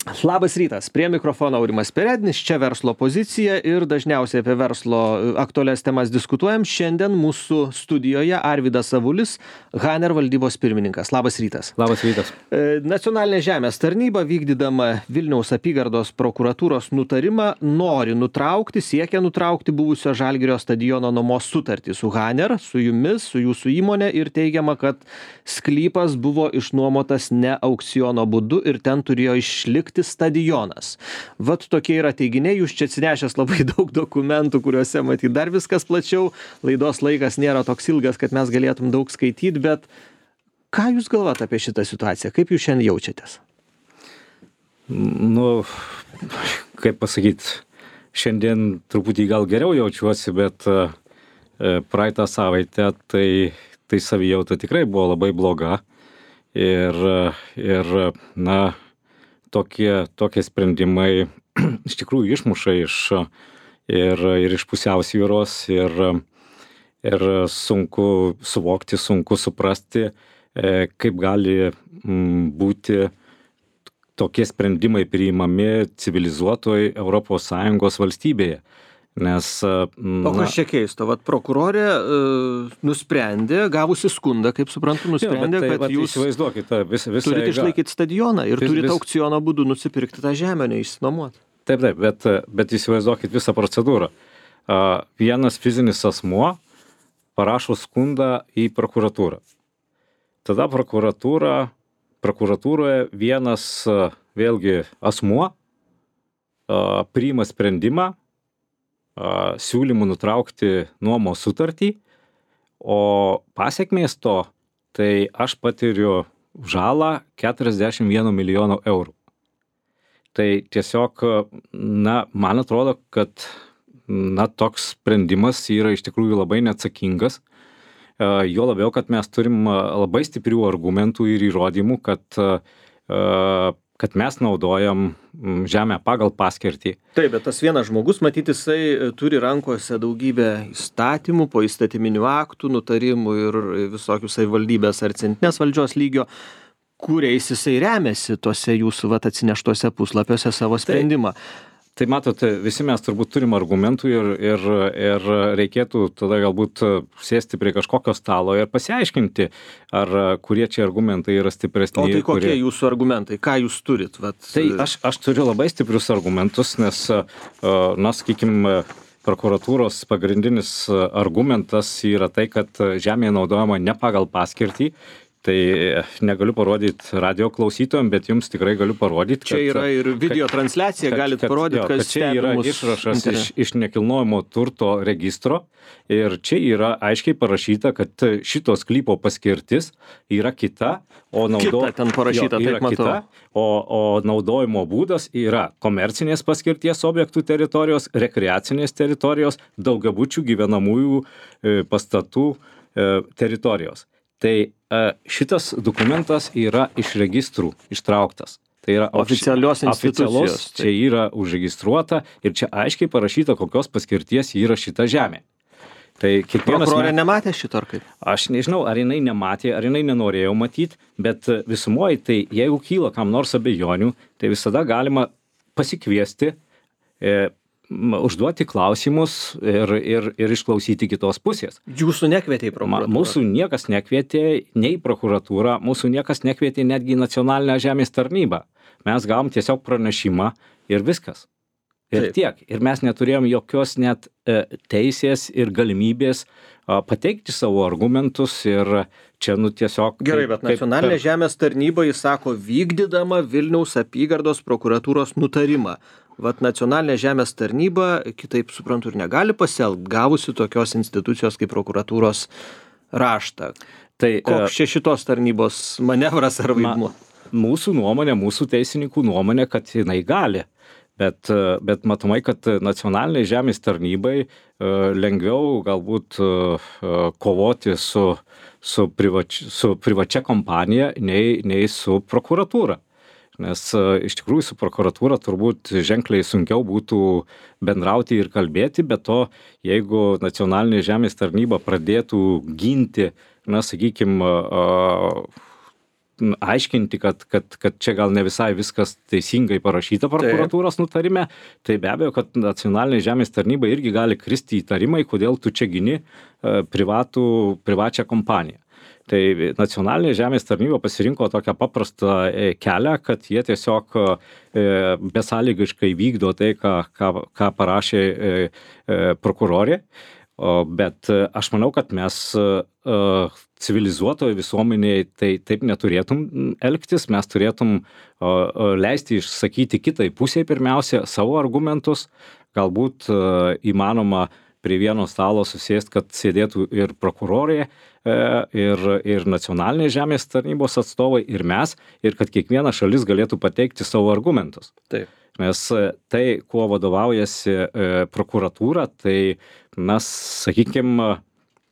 Labas rytas, prie mikrofono Aurimas Perednis, čia verslo pozicija ir dažniausiai apie verslo aktualias temas diskutuojam. Šiandien mūsų studijoje Arvydas Avulis, Haner valdybos pirmininkas. Labas rytas. Labas rytas. Nacionalinė žemės tarnyba, vykdydama Vilniaus apygardos prokuratūros nutarimą, siekia nutraukti buvusio Žalgirio stadiono nuomos sutartį su Haner, su jumis, su jūsų įmonė ir teigiama, kad sklypas buvo išnuomotas ne aukciono būdu ir ten turėjo išlikti stadionas. Vat tokie yra teiginiai, jūs čia atsinešęs labai daug dokumentų, kuriuose matyt dar viskas plačiau. Laidos laikas nėra toks ilgas, kad mes galėtum daug skaityti, bet ką jūs galvojat apie šitą situaciją? Kaip jūs šiandien jaučiatės? Nu, kaip pasakyti, šiandien truputį gal geriau jaučiuosi, bet praeitą savaitę tai savijauta tikrai buvo labai bloga ir na, tokie sprendimai iš tikrųjų išmuša ir iš pusiausvyros ir sunku suvokti, sunku suprasti, kaip gali būti tokie sprendimai priimami civilizuotoj ES valstybėje. Nes, o kas čia keisto? Vat prokurorė nusprendė, gavusi skundą, kaip suprantu, kad jūs turite išlaikyti stadioną ir turite aukciono būdu nusipirkti tą žemę, neišsinuomoti. Taip, bet įsivaizduokit visą procedūrą. Vienas fizinis asmuo parašo skundą į prokuratūrą. Tada prokuratūroje vienas vėlgi asmuo priima sprendimą siūlymų nutraukti nuomos sutartį, o pasekmės to, tai aš patiriu žalą 41 milijono eurų. Tai tiesiog, na, man atrodo, kad toks sprendimas yra iš tikrųjų labai neatsakingas. Jo labiau, kad mes turim labai stiprių argumentų ir įrodymų, kad mes naudojam žemę pagal paskirtį. Taip, bet tas vienas žmogus, matyt, jisai turi rankose daugybę įstatymų, poįstatyminių aktų, nutarimų ir visokių savivaldybės ar centrinės valdžios lygio, kuriais jisai remiasi tose jūsų atsineštuose puslapiuose savo sprendimą. Tai matote, visi mes turbūt turim argumentų ir reikėtų tada galbūt sėsti prie kažkokio stalo ir pasiaiškinti, ar kurie čia argumentai yra stipresni. O tai kokie jūsų argumentai? Ką jūs turit? Tai aš turiu labai stiprius argumentus, nes, na, sakykime, prokuratūros pagrindinis argumentas yra tai, kad žemė naudojama ne pagal paskirtį. Tai negaliu parodyti radio klausytojams, bet jums tikrai galiu parodyti. Čia yra ir video transliacija, galit parodyti, kad čia yra išrašas iš nekilnojamo turto registro ir čia yra aiškiai parašyta, kad šito sklypo paskirtis yra kita, o naudojimo būdas yra komercinės paskirties objektų teritorijos, rekreacinės teritorijos, daugiabučių gyvenamųjų pastatų teritorijos. Tai šitas dokumentas yra iš registrų ištrauktas. Tai yra oficialios institucijos. Čia yra užregistruota ir čia aiškiai parašyta, kokios paskirties yra šita žemė. Tai prokurorė nematė šito ar kaip? Aš nežinau, ar jinai nematė, ar jinai nenorėjo matyti, bet visumoje, tai jeigu kyla kam nors abejonių, tai visada galima pasikviesti, užduoti klausimus ir išklausyti kitos pusės. Jūsų nekvietė į prokuratūrą? Mūsų niekas nekvietė nei į prokuratūrą, mūsų niekas nekvietė netgi į nacionalinę žemės tarnybą. Mes gavom tiesiog pranešimą ir viskas. Ir tiek. Ir mes neturėjom jokios net teisės ir galimybės pateikti savo argumentus ir čia tiesiog... Gerai, bet nacionalinė žemės tarnyba, jis sako, vykdydama Vilniaus apygardos prokuratūros nutarimą. Vat nacionalinė žemės tarnyba, kitaip suprantu, ir negali pasielgti, gavusi tokios institucijos kaip prokuratūros raštą. Tai koks čia šitos tarnybos manevras ar vaidmuo? Mūsų nuomonė, mūsų teisininkų nuomonė, kad jinai gali. Bet matomai, kad nacionaliniai žemės tarnybai lengviau galbūt kovoti su privačia kompanija nei su prokuratūra. Nes iš tikrųjų su prokuratūra turbūt ženkliai sunkiau būtų bendrauti ir kalbėti, bet to, jeigu nacionalinė žemės tarnyba pradėtų ginti, na, sakykime, aiškinti, kad čia gal ne visai viskas teisingai parašyta prokuratūros nutarime, tai be abejo, kad nacionalinė žemės tarnyba irgi gali kristi įtarimai, kodėl tu čia gini privačią kompaniją. Tai nacionalinė žemės tarnyba pasirinko tokią paprastą kelią, kad jie tiesiog besąlygiškai vykdo tai, ką parašė prokurorė. Bet aš manau, kad mes civilizuotoje visuomenėje tai taip neturėtum elgtis, mes turėtum leisti išsakyti kitai pusiai pirmiausia savo argumentus, galbūt įmanoma prie vieno stalo susėst, kad sėdėtų ir prokurorė, ir nacionalinės žemės tarnybos atstovai, ir mes, ir kad kiekviena šalis galėtų pateikti savo argumentus. Taip. Nes tai, kuo vadovaujasi prokuratūra, tai mes, sakykime,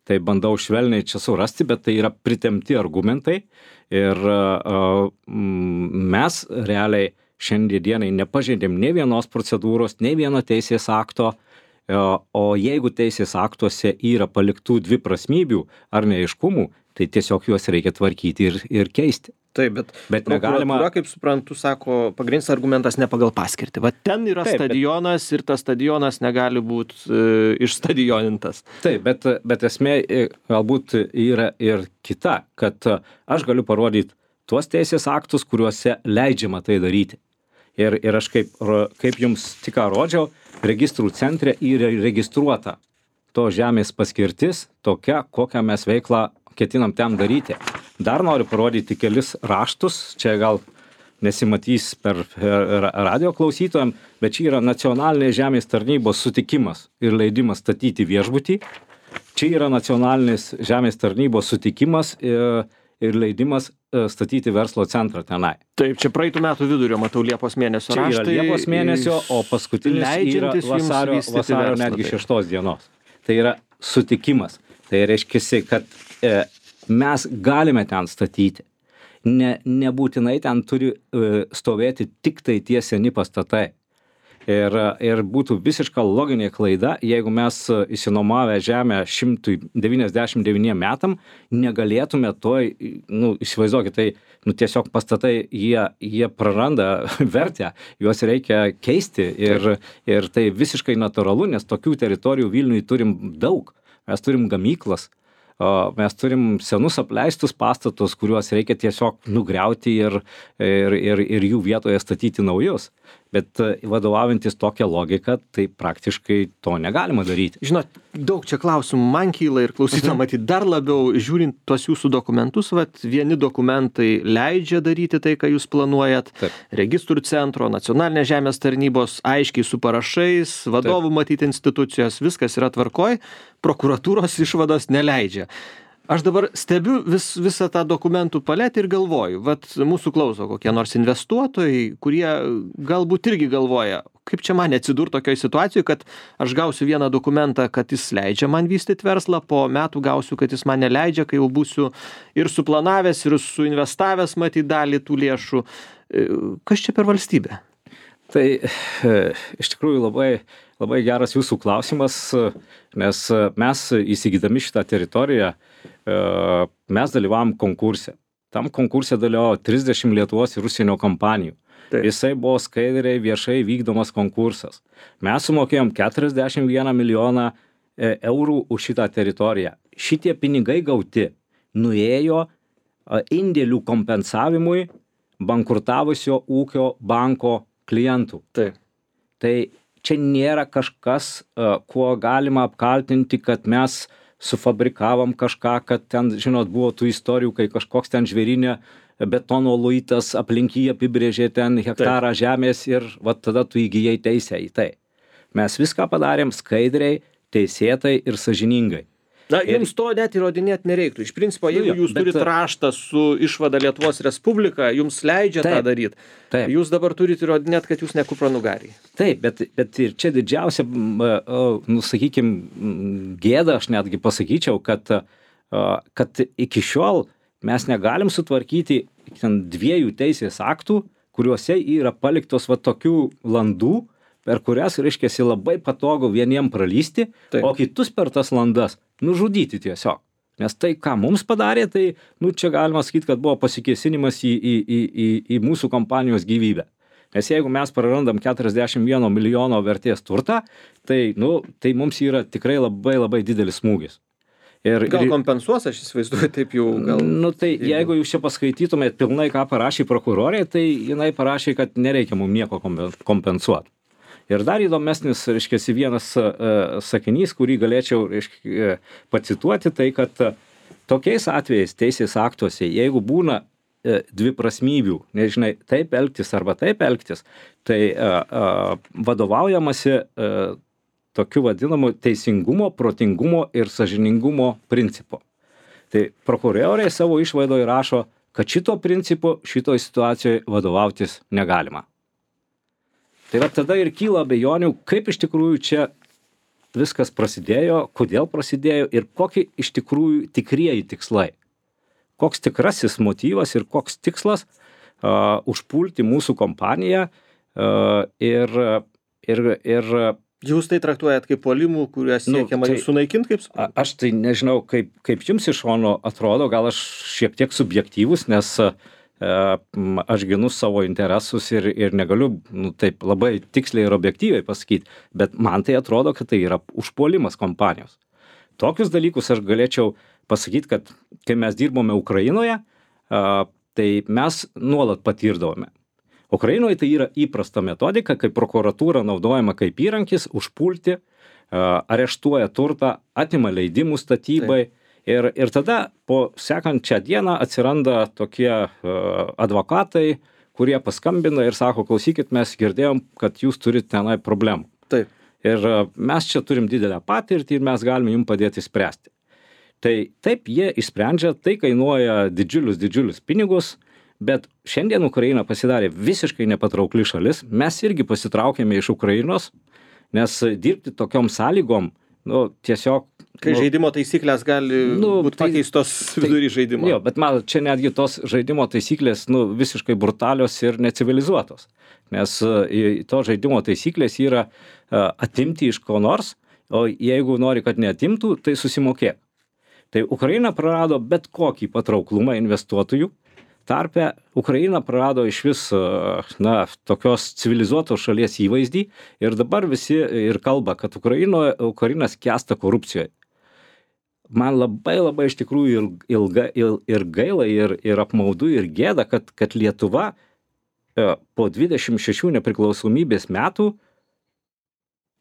tai bandau švelniai čia surasti, bet tai yra pritemti argumentai ir mes realiai šiandienai nepažeidėm nei vienos procedūros, nei vieno teisės akto, o jeigu teisės aktuose yra paliktų dviprasmybių ar neaiškumų, tai tiesiog juos reikia tvarkyti ir keisti. Taip, bet negalima, kaip suprantu, sako, pagrindinis argumentas ne pagal paskirtį. Va ten yra stadionas ir tas stadionas negali būti išstadionintas. Taip, bet esmė galbūt yra ir kita, kad aš galiu parodyti tuos teisės aktus, kuriuose leidžiama tai daryti. Ir aš kaip jums tik ką rodžiau, registrų centre yra registruota to žemės paskirtis tokia, kokią mes veiklą ketinam ten daryti. Dar noriu parodyti kelis raštus, čia gal nesimatys per radio klausytojam, bet čia yra nacionalinės žemės tarnybos sutikimas ir leidimas statyti viešbutį. Čia yra nacionalinės žemės tarnybos sutikimas ir leidimas statyti verslo centrą tenai. Taip, čia praeitų metų vidurio, matau, Liepos mėnesio raštai. Čia yra Liepos mėnesio, o paskutinis yra vasario netgi 6 dienos. Tai yra sutikimas. Tai reiškia, kad mes galime ten statyti. Nebūtinai ten turi stovėti tik tai tie seni pastatai. Ir būtų visiška loginė klaida, jeigu mes išsinuomavę žemę 199 metam, negalėtume įsivaizduokit, tai tiesiog pastatai, jie praranda vertę, juos reikia keisti ir tai visiškai natūralu, nes tokių teritorijų Vilniuje turim daug. Mes turim gamyklas, mes turim senus apleistus pastatus, kuriuos reikia tiesiog nugriauti ir jų vietoje statyti naujus. Bet vadovaujantis tokią logiką, tai praktiškai to negalima daryti. Žinot, daug čia klausimų man kyla ir klausytojam matyt dar labiau, žiūrint tuos jūsų dokumentus, vieni dokumentai leidžia daryti tai, ką jūs planuojat. Taip. Registrų centro, nacionalinės žemės tarnybos, aiškiai su parašais, vadovų matyti institucijos, viskas yra tvarkoj, prokuratūros išvados neleidžia. Aš dabar stebiu visą tą dokumentų paletę ir galvoju, mūsų klauso kokie nors investuotojai, kurie galbūt irgi galvoja, kaip čia man atsidurti tokioje situacijoje, kad aš gausiu vieną dokumentą, kad jis leidžia man vystyti verslą, po metų gausiu, kad jis man neleidžia, kai jau būsiu ir suplanavęs, ir suinvestavęs matyti dalį tų lėšų. Kas čia per valstybę? Tai iš tikrųjų labai geras jūsų klausimas, nes mes įsigydami šitą teritoriją, mes dalyvavom konkurse. Tam konkurse dalyvavo 30 Lietuvos ir užsienio kompanijų. Taip. Jisai buvo skaidriai viešai vykdomas konkursas. Mes sumokėjom 41 milijoną eurų už šitą teritoriją. Šitie pinigai gauti nuėjo indėlių kompensavimui bankrutavusio ūkio banko klientų. Taip. Tai čia nėra kažkas, kuo galima apkaltinti, kad mes sufabrikavom kažką, kad ten, žinot, buvo tų istorijų, kai kažkoks ten žvėrinė betono luitas aplink jį apibrėžė ten hektarą žemės ir tada tu įgyjai teisę į tai. Mes viską padarėm skaidriai, teisėtai ir sąžiningai. Jums to net įrodinėti nereiktų. Iš principo, jeigu jūs turit raštą su išvada Lietuvos Respublika, jums leidžia tą daryti. Jūs dabar turit įrodinėti, kad jūs ne kupranugariai. Taip, bet ir čia didžiausia, sakykim, gėda, aš netgi pasakyčiau, kad iki šiol mes negalim sutvarkyti 2 teisės aktų, kuriuose yra paliktos tokių landų, per kurias, reiškiasi, labai patogu vieniem pralysti, o kitus per tas landas nužudyti tiesiog. Nes tai, ką mums padarė, tai, čia galima sakyti, kad buvo pasikėsinimas į mūsų kompanijos gyvybę. Nes jeigu mes prarandam 41 milijono vertės turtą, tai mums yra tikrai labai labai didelis smūgis. Gal kompensuos, aš įsivaizduoju, taip jau gal. Tai jeigu jūs čia paskaitytumėt pilnai, ką parašė prokurorė, tai jinai parašė, kad nereikia mums nieko kompensuoti. Ir dar įdomesnis, reiškiasi, vienas sakinys, kurį galėčiau, pacituoti, tai kad tokiais atvejais teisės aktuose, jeigu būna dviprasmybių, nežinai, taip elgtis arba taip elgtis, tai vadovaujamasi tokiu vadinamu teisingumo, protingumo ir sąžiningumo principu. Tai prokurorė savo išvadoje rašo, kad šito principu šitoj situacijoje vadovautis negalima. Tai va tada ir kyla abejonių, kaip iš tikrųjų čia viskas prasidėjo, kodėl prasidėjo ir kokie iš tikrųjų tikrieji tikslai. Koks tikrasis motyvas ir koks tikslas užpulti mūsų kompaniją ir Jūs tai traktuojat kaip puolimų, kuriuos siekiama sunaikinti, kaip suprantu? Aš tai nežinau, kaip jums iš šono atrodo, gal aš šiek tiek subjektyvus, nes aš ginu savo interesus ir negaliu taip labai tiksliai ir objektyviai pasakyti, bet man tai atrodo, kad tai yra užpuolimas kompanijos. Tokius dalykus aš galėčiau pasakyti, kad kai mes dirbome Ukrainoje, tai mes nuolat patirdavome. Ukrainoje tai yra įprasta metodika, kai prokuratūra naudojama kaip įrankis užpulti, areštuoja turtą, atima leidimų statybai. Ir tada po sekančią dieną atsiranda tokie advokatai, kurie paskambina ir sako, klausykit, mes girdėjom, kad jūs turite tenai problemų. Taip. Ir mes čia turim didelę patirtį ir mes galime jums padėti spręsti. Tai taip jie išsprendžia, tai kainuoja didžiulius pinigus, bet šiandien Ukraina pasidarė visiškai nepatraukli šalis, mes irgi pasitraukėme iš Ukrainos, nes dirbti tokiom sąlygom, tiesiog... Kai žaidimo taisyklės gali būti pakeistos vidury žaidimo. Jo, bet man čia netgi tos žaidimo taisyklės visiškai brutalios ir necivilizuotos. Nes to žaidimo taisyklės yra atimti iš ko nors, o jeigu nori, kad neatimtų, tai susimokėk. Tai Ukraina prarado bet kokį patrauklumą investuotojų. Tarpe Ukraina prarado iš vis tokios civilizuotos šalies įvaizdį ir dabar visi ir kalba, kad Ukraina skęsta korupcijoje. Man labai iš tikrųjų ir gaila, ir apmaudu, ir gėda, kad Lietuva po 26 nepriklausomybės metų,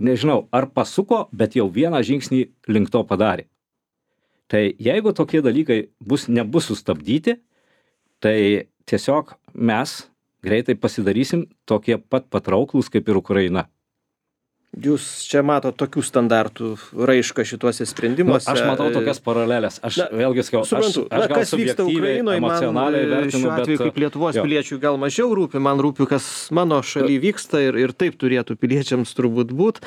nežinau, ar pasuko, bet jau vieną žingsnį link to padarė. Tai jeigu tokie dalykai nebus sustabdyti, tai tiesiog mes greitai pasidarysim tokie pat patrauklūs kaip ir Ukraina. Jūs čia matot tokių standartų raišką šituose sprendimuose. Aš matau tokias paralelės. Aš vėlgi sakau, aš gal subjektyviai, emocionaliai vertinu, šiuo atveju kaip Lietuvos piliečių gal mažiau rūpi, man rūpi, kas mano šaly vyksta ir taip turėtų piliečiams turbūt būt.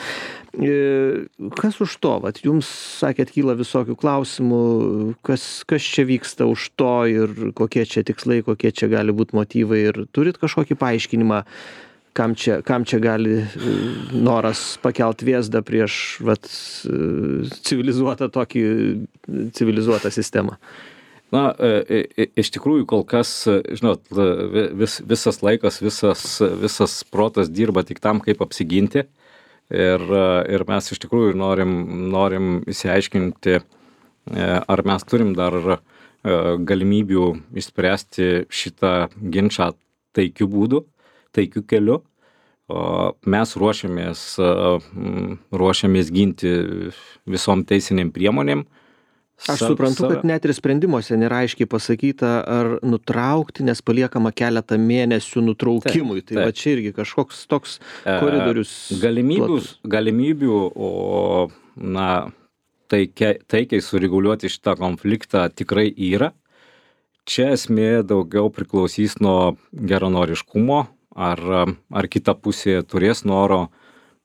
Kas už to? Vat jums, sakėt, kyla visokių klausimų, kas čia vyksta už to ir kokie čia tikslai, kokie čia gali būti motyvai ir turit kažkokį paaiškinimą, kam čia gali noras pakelt vėzdą prieš civilizuotą sistemą? Iš tikrųjų, kol kas, žinot, visas laikas, visas protas dirba tik tam, kaip apsiginti. Ir mes iš tikrųjų norim išsiaiškinti, ar mes turim dar galimybių išspręsti šitą ginčą taikiu būdu, taikiu keliu. Mes ruošiamės ginti visom teisiniam priemonėm. Aš suprantu, kad net ir sprendimuose nėra aiškiai pasakyta, ar nutraukti, nes paliekama keletą mėnesių nutraukimui. Tai va čia irgi kažkoks toks koridorius. Galimybių, taikiai sureguliuoti šitą konfliktą tikrai yra. Čia esmė daugiau priklausys nuo geranoriškumo, ar kita pusė turės noro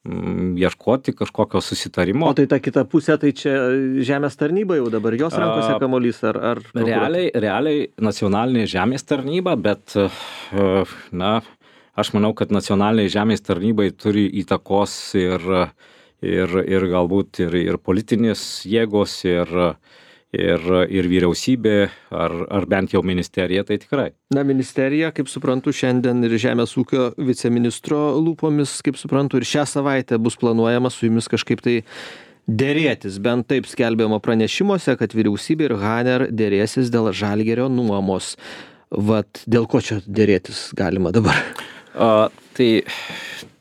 ieškoti kažkokio susitarimo. O tai ta kita pusė, tai čia žemės tarnyba jau dabar, jos rankose kamuolys ar realiai nacionalinė žemės tarnyba, bet aš manau, kad nacionaliniai žemės tarnybai turi įtakos ir galbūt ir politinės jėgos ir vyriausybė, ar bent jau ministerija, tai tikrai. Na, ministerija, kaip suprantu, šiandien ir Žemės ūkio viceministro lūpomis, kaip suprantu, ir šią savaitę bus planuojama su jumis kažkaip tai dėrėtis. Bent taip skelbiama pranešimuose, kad vyriausybė ir Haner dėrėsis dėl Žalgirio nuomos. Vat dėl ko čia dėrėtis galima dabar? Tai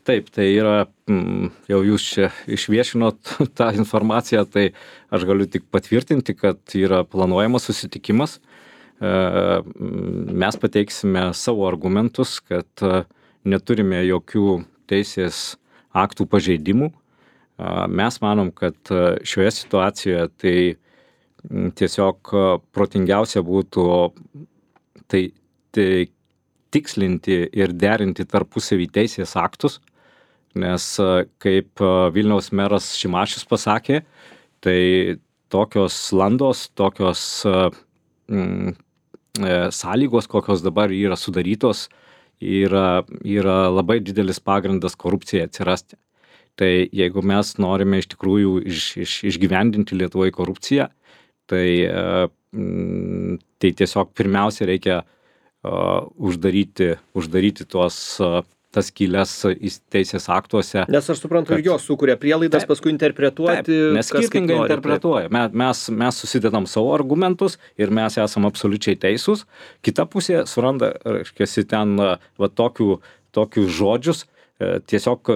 taip, tai yra, jau jūs čia išviešinot tą informaciją, tai aš galiu tik patvirtinti, kad yra planuojamas susitikimas. Mes pateiksime savo argumentus, kad neturime jokių teisės aktų pažeidimų. Mes manom, kad šioje situacijoje tai tiesiog protingiausia būtų tai tikslinti ir derinti tarpusavį teisės aktus, nes kaip Vilniaus meras Šimašius pasakė, tai tokios landos, tokios sąlygos, kokios dabar yra sudarytos, yra labai didelis pagrindas korupcijai atsirasti. Tai jeigu mes norime iš tikrųjų išgyvendinti Lietuvoje korupciją, tai tiesiog pirmiausia reikia uždaryti tas skylės teisės aktuose. Nes aš suprantu, ir jos sukuria prielaidas, paskui interpretuoti. Taip, nes skirtingai interpretuoja. Mes susidedam savo argumentus ir mes esam absoliučiai teisūs. Kita pusė suranda, reiškia, ten tokius žodžius, tiesiog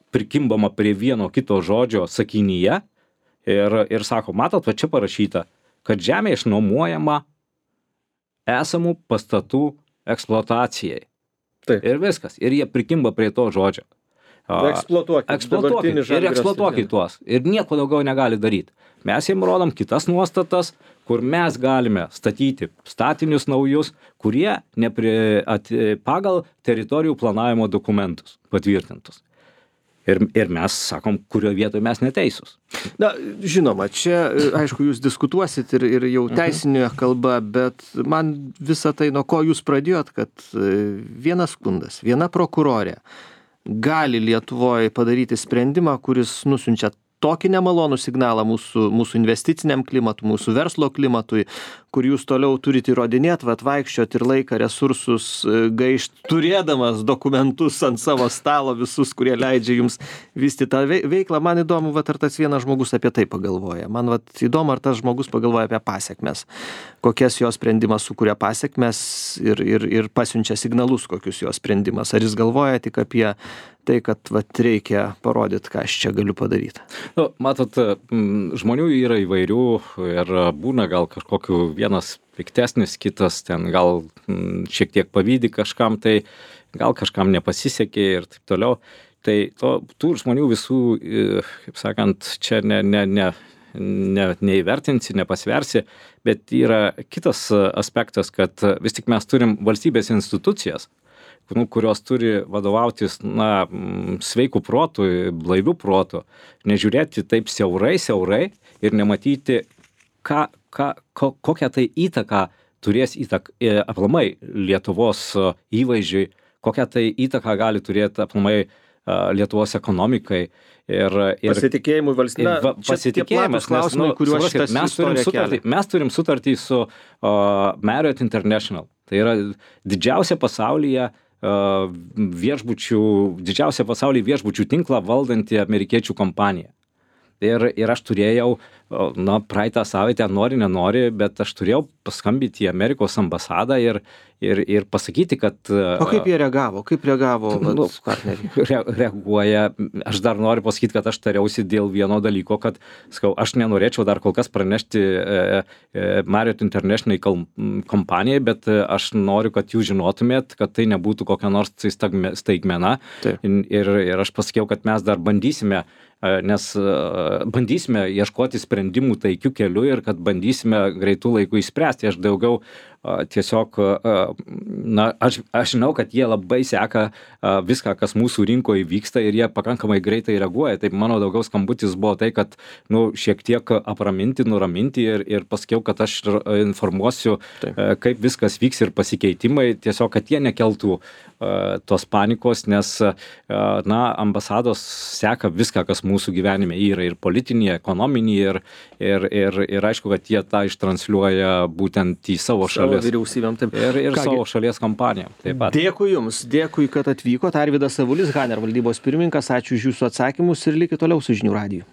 prikimbama prie vieno kito žodžio sakinyje ir sako, matot, va čia parašyta, kad žemė išnuomojama esamų pastatų eksploatacijai. Taip. Ir viskas. Ir jie prikimba prie to žodžio. Eksploatuokit ir eksploatuokit tuos. Ir nieko daugiau negali daryti. Mes jiem rodom kitas nuostatas, kur mes galime statyti statinius naujus, kurie pagal teritorijų planavimo dokumentus patvirtintus. Ir mes sakom, kurio vietoje mes neteisūs. Na, žinoma, čia, aišku, jūs diskutuosit ir jau teisinė kalba, bet man visą tai, nuo ko jūs pradėjot, kad vienas skundas, viena prokurorė gali Lietuvoje padaryti sprendimą, kuris nusiunčia tokį nemalonų signalą mūsų investiciniam klimatui, mūsų verslo klimatui, kur jūs toliau turite įrodinėti, vaikščioti ir laiką, resursus gaišti, turėdamas dokumentus ant savo stalo visus, kurie leidžia jums vystyti tą veiklą. Man įdomu, ar tas vienas žmogus apie tai pagalvoja. Man įdomu, ar tas žmogus pagalvoja apie pasekmes. Kokias jo sprendimas sukuria pasekmes ir pasiunčia signalus, kokius jo sprendimas. Ar jis galvoja tik apie tai, kad reikia parodyti, ką aš čia galiu padaryti. Nu, matot, žmonių yra įvairių ir būna gal kažkokiu vienas piktesnis, kitas ten gal šiek tiek pavydi kažkam, tai gal kažkam nepasisekė ir taip toliau. Tai tų žmonių visų, kaip sakant, čia neįvertinsi, nepasversi, bet yra kitas aspektas, kad vis tik mes turim valstybės institucijas, kurios turi vadovautis sveikų protų, blaivių protų, nežiūrėti taip siaurai ir nematyti, kokią tai įtaką turės aplamai Lietuvos įvaizdžiui, kokią tai įtaką gali turėti aplamai Lietuvos ekonomikai. Pasitikėjimui valstybė. Pasitikėjimas, klausimai, kuriuos šitas istorija kelia. Mes turim sutartį su Marriott International. Tai yra didžiausia pasaulyje viešbučių tinklą valdanti amerikiečių kompanija. Ir aš turėjau, praeitą savaitę, nenori, bet aš turėjau paskambinti į Amerikos ambasadą ir pasakyti, kad... O kaip jie reagavo? Kaip reagavo partneriai? Reaguoja. Aš dar noriu pasakyti, kad aš tariausi dėl vieno dalyko, kad aš nenorėčiau dar kol kas pranešti Marriott International kompanijai, bet aš noriu, kad jūs žinotumėt, kad tai nebūtų kokia nors staigmena. Ir aš pasakiau, kad mes dar bandysime ieškoti sprendimų taikių kelių ir kad bandysime greitų laikų išspręsti. Aš daugiau tiesiog, aš žinau, kad jie labai seka viską, kas mūsų rinkoje vyksta ir jie pakankamai greitai reaguoja. Tai mano daugiau skambutis buvo tai, kad šiek tiek apraminti, nuraminti ir pasakiau, kad aš informuosiu, kaip viskas vyks ir pasikeitimai, tiesiog, kad jie nekeltų tos panikos, nes ambasados seka viską, kas mūsų gyvenime yra, ir politinį, ekonominį, ir aišku, kad jie tą ištransliuoja būtent į savo šalis. Vyriausybėm, taip. Ir savo šalies kampanijom. Taip pat. Dėkui Jums, dėkui, kad atvykot. Arvydas Avulis, Haner valdybos pirmininkas, ačiū už Jūsų atsakymus ir likit toliau su Žinių radiju.